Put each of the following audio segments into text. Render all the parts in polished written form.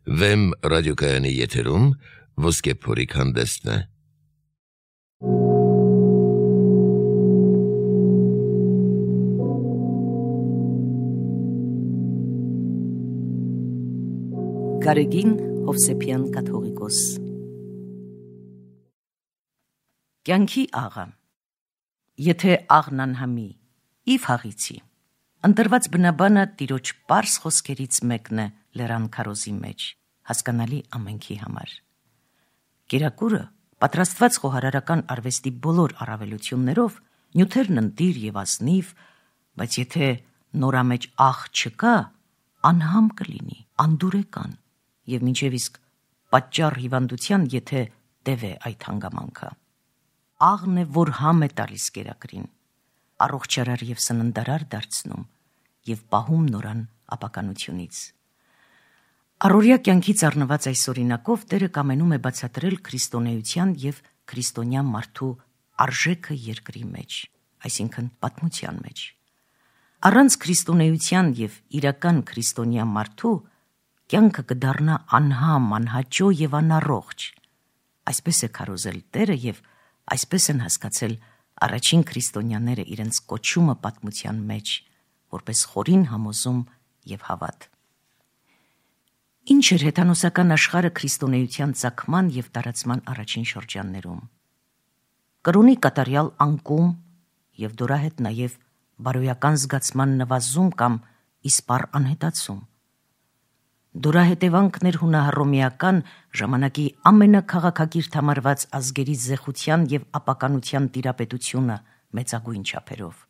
Վեմ ռադիոկայանի եթերում ոսկե փորիկ հանդեսն է։ Գարեգին Հովսեփյան կաթողիկոս։ Կյանքի աղը։ Եթե աղն անհամի, ի փաղիցի։ Ընտրված բնաբանը տիրոջ պարզ խոսքերից մեկն է լեռան քարոզի մեջ, հասկանալի ամենքի համար։ Կերակուրը, պատրաստված խոհարարական արվեստի բոլոր առավելություններով, նյութերն ընտիր եւ ազնիվ, բայց եթե նորամեջ աղ չկա, անհամ կլինի, անդուրեկան, եւ մինչեւ իսկ պատճառ հիվանդության, եթե տև է այդ հանգամանքը։ Աղն է, որ համ է տալիս կերակրին, առողջարար եւ սննդարար դարձնում եւ պահում նորան ապականությունից։ Առօրյա կյանքից առնված այս օրինակով Տերը կամենում է բացատրել քրիստոնեության եւ քրիստոնյա մարդու արժեքը երկրի մեջ, այսինքն պատմության մեջ։ Առանց քրիստոնեության եւ իրական քրիստոնյա մարդու կյանքը կդառնա անհամ, անհաճո եւ անառողջ։ Այսպես է քարոզել Տերը եւ այսպես են հասկացել առաջին քրիստոնյաները իրենց կոչումը պատմության մեջ, որպես խորին համոզում եւ հավատ։ Ինչ էր հեթանոսական աշխարհը քրիստոնեության ծագման եւ տարածման առաջին շրջաններում։ Կրոնի կատարյալ անկում եւ դորահետ նաեւ բարոյական զգացման նվազում կամ իսպառ անհետացում։ Դորահետևանքներ հունահռոմեական ժամանակի ամենաքաղաքակիրթ համարված ազգերի զեխության եւ ապականության տիրապետությունը մեծագույն չափերով։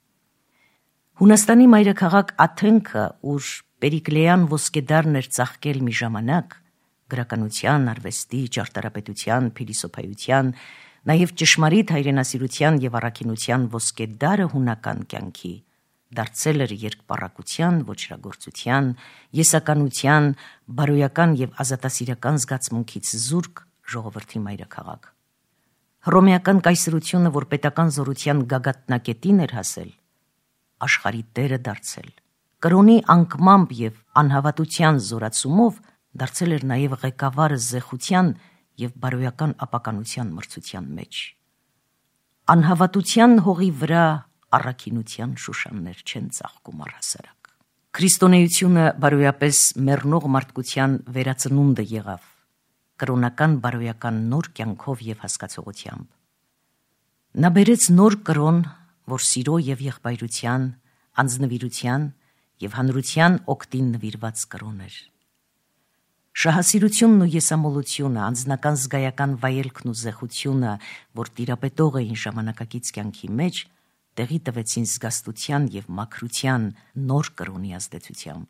Հունաստանի մայրաքաղաք Աթենքը, ուր Պերիկլեան ոսկեդարն էր ծաղկել մի ժամանակ, գրականության, արվեստի, ճարտարապետության, փիլիսոփայության, նաեւ ճշմարիտ հայրենասիրության եւ առաքինության ոսկեդարը հունական կյանքի, դարձել էր երկպառակության, ոչրագործության, եսականության, բարոյական եւ ազատասիրական զգացմունքից զուրկ ժողովրդի մայրաքաղաք։ Հռոմեական կայսրությունը, որ պետական զորության գագաթնակետին էր հասել, աշխարհի տերը դարձել, կրոնի անկմամբ եւ անհավատության զորացումով դարձել էր նաեւ ղեկավարը զեխության եւ բարոյական ապականության մրցության մեջ։ Անհավատության հողի վրա առաքինության շուշաններ չեն ծաղկում առհասարակ։ Քրիստոնեությունը բարոյապես մեռնող մարդկության վերածնունդը եղավ, կրոնական բարոյական նոր կյանքով եւ հասկացողությամբ։ Նա բերեց նոր կրոն, որ սիրո եւ եղբայրության, անձնվիրության եւ հանրության օգտին նվիրված կրոն էր։ Շահասիրությունն ու եսամոլությունը, անձնական զգայական վայելքն ու զեխությունը, որ տիրապետող էին ժամանակակից կյանքի մեջ, տեղի տվեցին զգաստության եւ մաքրության նոր կրոնի ազդեցությամբ։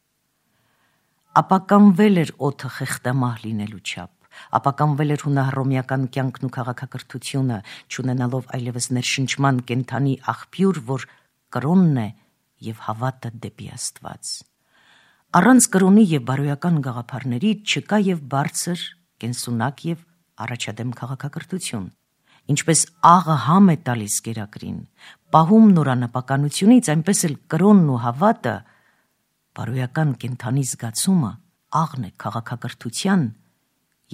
Ապականվել էր օդը խեղդամահ լինելու չափ, ապականվել էր հունահռոմեական կյանքն ու քաղաքակրթությունը, չունենալով այլևս ներշնչման կենթանի աղբյուր, որ կրոնն է եւ հավատը դեպի Աստված։ Առանց կրոնի եւ բարոյական գաղափարների չկա եւ բարձր, կենսունակ եւ առաջադեմ քաղաքակրթություն։ Ինչպես աղը համ է տալիս կերակրին, պահում նորանապականությունից, այնպես էլ կրոնն ու հավատը, բարոյական կենթանի զգացումը, աղն է քաղաքակրթության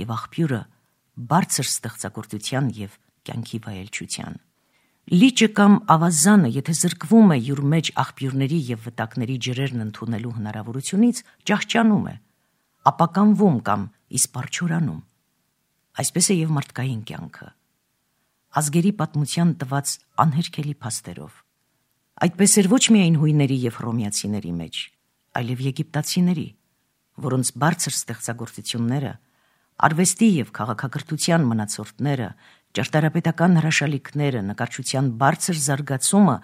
եւ աղբյուրը բարձր ստեղծագործության եւ կյանքի վայելչության։ Լիճը կամ ավազանը, եթե զրկվում է յուր մեջ աղբյուրների եւ վտակների ջրերն ընդունելու հնարավորությունից, ճահճանում է, ապականվում կամ իսպառչորանում։ Այսպես է եւ մարդկային կյանքը։ Ազգերի պատմության տված անհերքելի փաստերով։ Այդպես էր ոչ միայն հույների եւ հռոմեացիների մեջ, այլև եգիպտացիների, որոնց բարձր ստեղծագործությունները, արվեստի եւ քաղաքակրթության մնացորդները, ճարտարապետական հրաշալիքները, նկարչության բարձր զարգացումը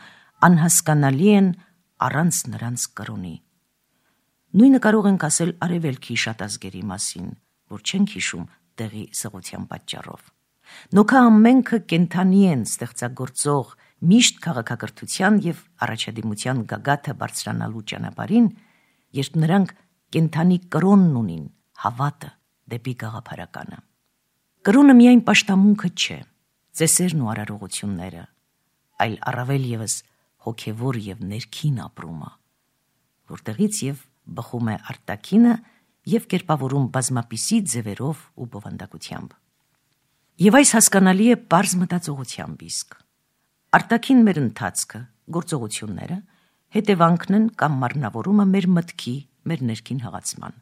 անհասկանալի են առանց նրանց կրոնի։ Նույնը կարող ենք ասել արևելքի շատ ազգերի մասին, որ չենք հիշում տեղի սղության պատճառով։ Նոքա ամենքը կենթանի են ստեղծագործող միշտ քաղաքակրթության եւ առաջադիմության գագաթը բարձրանալու ճանապարհին, երբ նրանք կենթանի կրոնն ունին, հավատը դեպի գաղափարականը։ Կրոնը միայն պաշտամունքը չէ, ծեսերն ու արարողությունները, այլ առավել եւս հոգեվոր եւ ներքին ապրումը, որտեղից եւ բխում է արտաքինը եւ կերպավորում բազմապիսի ձևերով ու բովանդակությամբ։ Եվ այս հասկանալի է պարզ մտածողությամբ իսկ։ Արտաքին մեր ընթացքը, գործողությունները հետևանքն են կամ մարմնավորումը մեր մտքի, մեր ներքին հղացման։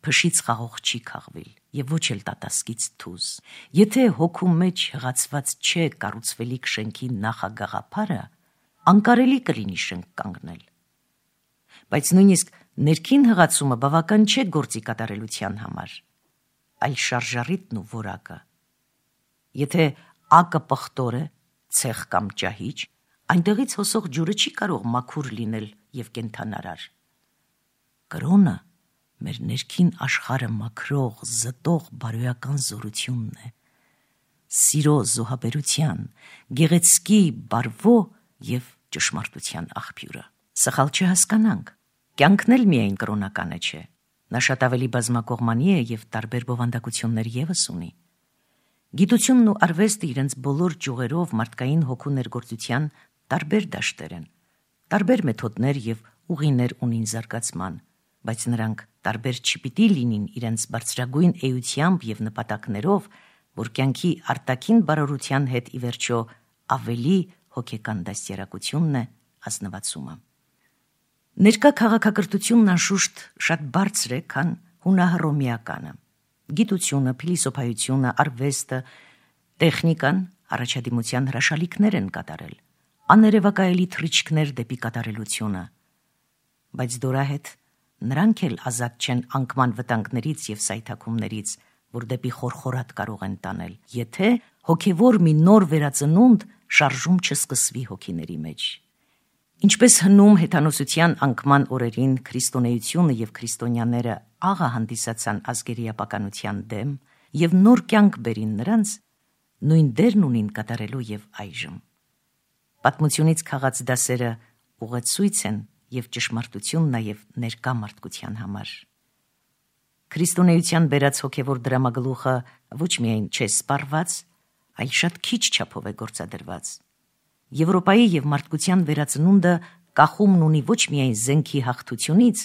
Փշից խաղող չի քաղվել եւ ոչ էլ տատասկից թուզ։ Եթե հոգու մեջ հղացված չէ կառուցվելիք շենքի նախագաղափարը, անկարելի կլինի շենք կանգնել։ Բայց նույնիսկ ներքին հղացումը բավական չէ գործի կատարելության համար, այլ շարժառիթն ու որակը։ Եթե ակը պղտոր է, ցեխ կամ ճահիճ, այնտեղից հոսող ջուրը չի կարող մաքուր լինել եւ կենթանարար։ Կրոնը մեր ներքին աշխարհը մաքրող, զտող բարոյական զորությունն է, սիրո զոհաբերության, գեղեցկի բարվո եւ ճշմարտության աղբյուրը։ Սխալ չհասկանանք, կյանքն էլ միայն կրոնականը չէ, նա շատ ավելի բազմակողմանի է եւ տարբեր բովանդակություններ եւս ունի։ Գիտությունն ու արվեստը իրենց բոլոր ճյուղերով մարդկային հոգու ներգործության տարբեր դաշտեր են, տարբեր մեթոդներ եւ ուղիներ ունին զարգացման, բայց նրանք տարբեր չպիտի լինին իրենց բարձրագույն էությամբ եւ նպատակներով, որ կյանքի արտաքին բարօրության հետ ի վերջո ավելի հոգեկան դաստիարակությունն է ազնվացումը։ Ներկա քաղաքակրթությունն անշուշտ շատ բարձր է, քան հունահռոմեականը։ Գիտությունը, փիլիսոփայությունը, արվեստը, տեխնիկան առաջադիմության հրաշալիքներ են կատարել, աներևակայելի թռիչքներ դեպի կատարելությունը, բայց դորահետ նրանք էլ ազատ չեն անկման վտանգներից եւ սայթաքումներից, որ դեպի խորխորատ կարող են տանել, եթե հոգևոր մի նոր վերածնունդ շարժում չսկսվի հոգիների մեջ։ Ինչպես հնում հեթանոսության անկման օրերին քրիստոնեությունը եւ քրիստոնյաները աղա հանդիսացան ազգերի ապականության դեմ եւ նոր կյանք բերին նրանց, նույն դերն ունին կատարելու եւ այժմ։ Պատմությունից քաղած դասերը ուղեցույց են եւ ճշմարտություն նաեւ ներկա մարդկության համար։ Քրիստոնեության բերած հոգևոր դրամագլուխը ոչ միայն չէ սպառված, այլ շատ քիչ չափով է գործադրված։ Եվրոպայի եւ մարդկության վերածնունդը կախումն ունի ոչ միայն զենքի հաղթությունից,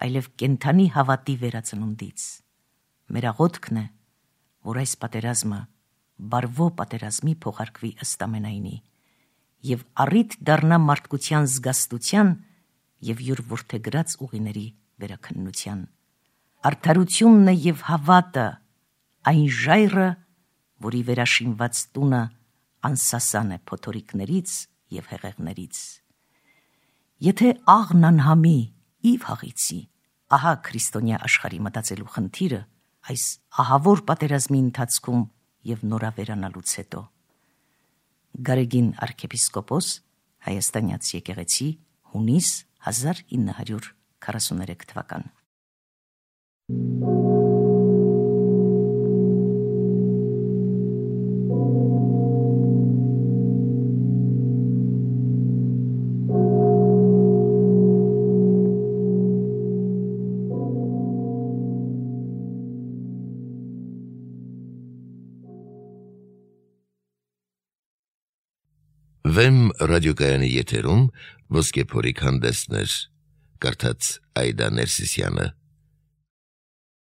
այլև կենթանի հավատի վերածնունդից։ Մեր աղոթքն է, որ այս պատերազմը բարվո պատերազմի փոխարկվի ըստ ամենայնի եւ առիթ դառնա մարդկության զգաստության եւ յուր որդեգրած ուղիների վերաքննության։ Արդարությունն է եւ հավատը, այն ժայռը, որի վերաշինված տունը անսասան է փոթորիկներից եւ հեղեղներից։ Եթե աղն անհամի իվ հաղիցի, ահա քրիստոնյա աշխարհի մտածելու խնդիրը այս ահավոր պատերազմի ընթացքում եւ նորավերանալուց հետո։ Գարեգին arczepiskopos, Հայաստանյաց եկեղեցի, հունիս 1943 թվական։ Վեմ ռադիոկայանի եթերում ոսկե փորիկ հանդեսներ, կարդաց Այդա Ներսիսյանը։